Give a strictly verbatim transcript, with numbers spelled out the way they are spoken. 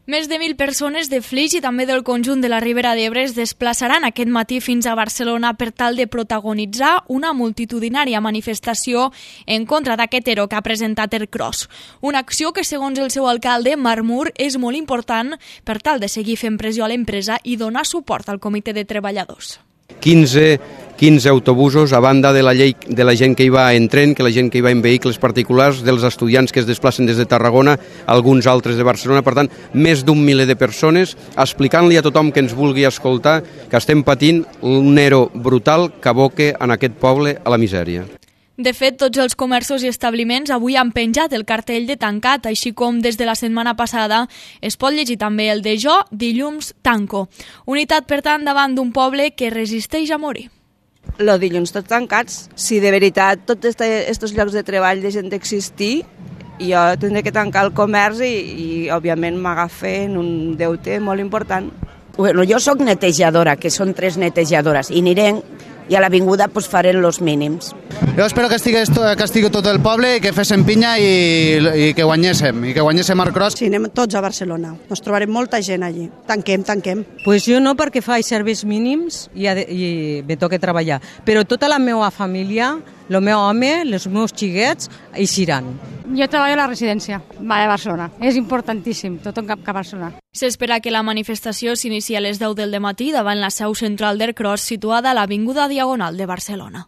Més de mil persones de Flix i també del conjunt de la Ribera d'Ebre es desplaçaran aquest matí fins a Barcelona per tal de protagonitzar una multitudinària manifestació en contra d'aquest ero que ha presentat Ercros. Una acció que, segons el seu alcalde, Marc Mur, és molt important per tal de seguir fent pressió a l'empresa i donar suport al comitè de treballadors. quinze, quinze autobusos, a banda de la, llei, de la gent que hi va en tren, que la gent que hi va en vehicles particulars, dels estudiants que es desplacen des de Tarragona, alguns altres de Barcelona. Per tant, més d'un miler de persones, explicant-li a tothom que ens vulgui escoltar que estem patint un ero brutal que aboca en aquest poble a la misèria. De fet, tots els comerços i establiments avui han penjat el cartell de tancat, així com des de la setmana passada es pot llegir també el de Jo, dilluns, tanco. Unitat, per tant, davant d'un poble que resisteix a morir. Los dilluns tots tancats. Si de veritat tots aquests llocs de treball deixen d'existir, jo tindré que tancar el comerç i, i òbviament m'agafen un deute molt important. Bueno, jo sóc netejadora, que són tres netejadores, i anirem i a l'avinguda pues, farem els mínims. Jo espero que estigui, que estigui tot el poble i que féssim pinya i, i que guanyéssim, i que guanyéssim Ercros. Sí, anem tots a Barcelona. Nos trobarem molta gent allí. Tanquem, tanquem. Pues jo no, perquè faig serveis mínims i, i me toca treballar. Però tota la meva família, el meu home, els meus xiquets, eixiran. Jo treballo a la residència va a Barcelona. És importantíssim, tot en cap a Barcelona. S'espera que la manifestació s'inici a les deu del matí davant la seu central d'Ercros, situada a l'Avinguda Diagonal de Barcelona.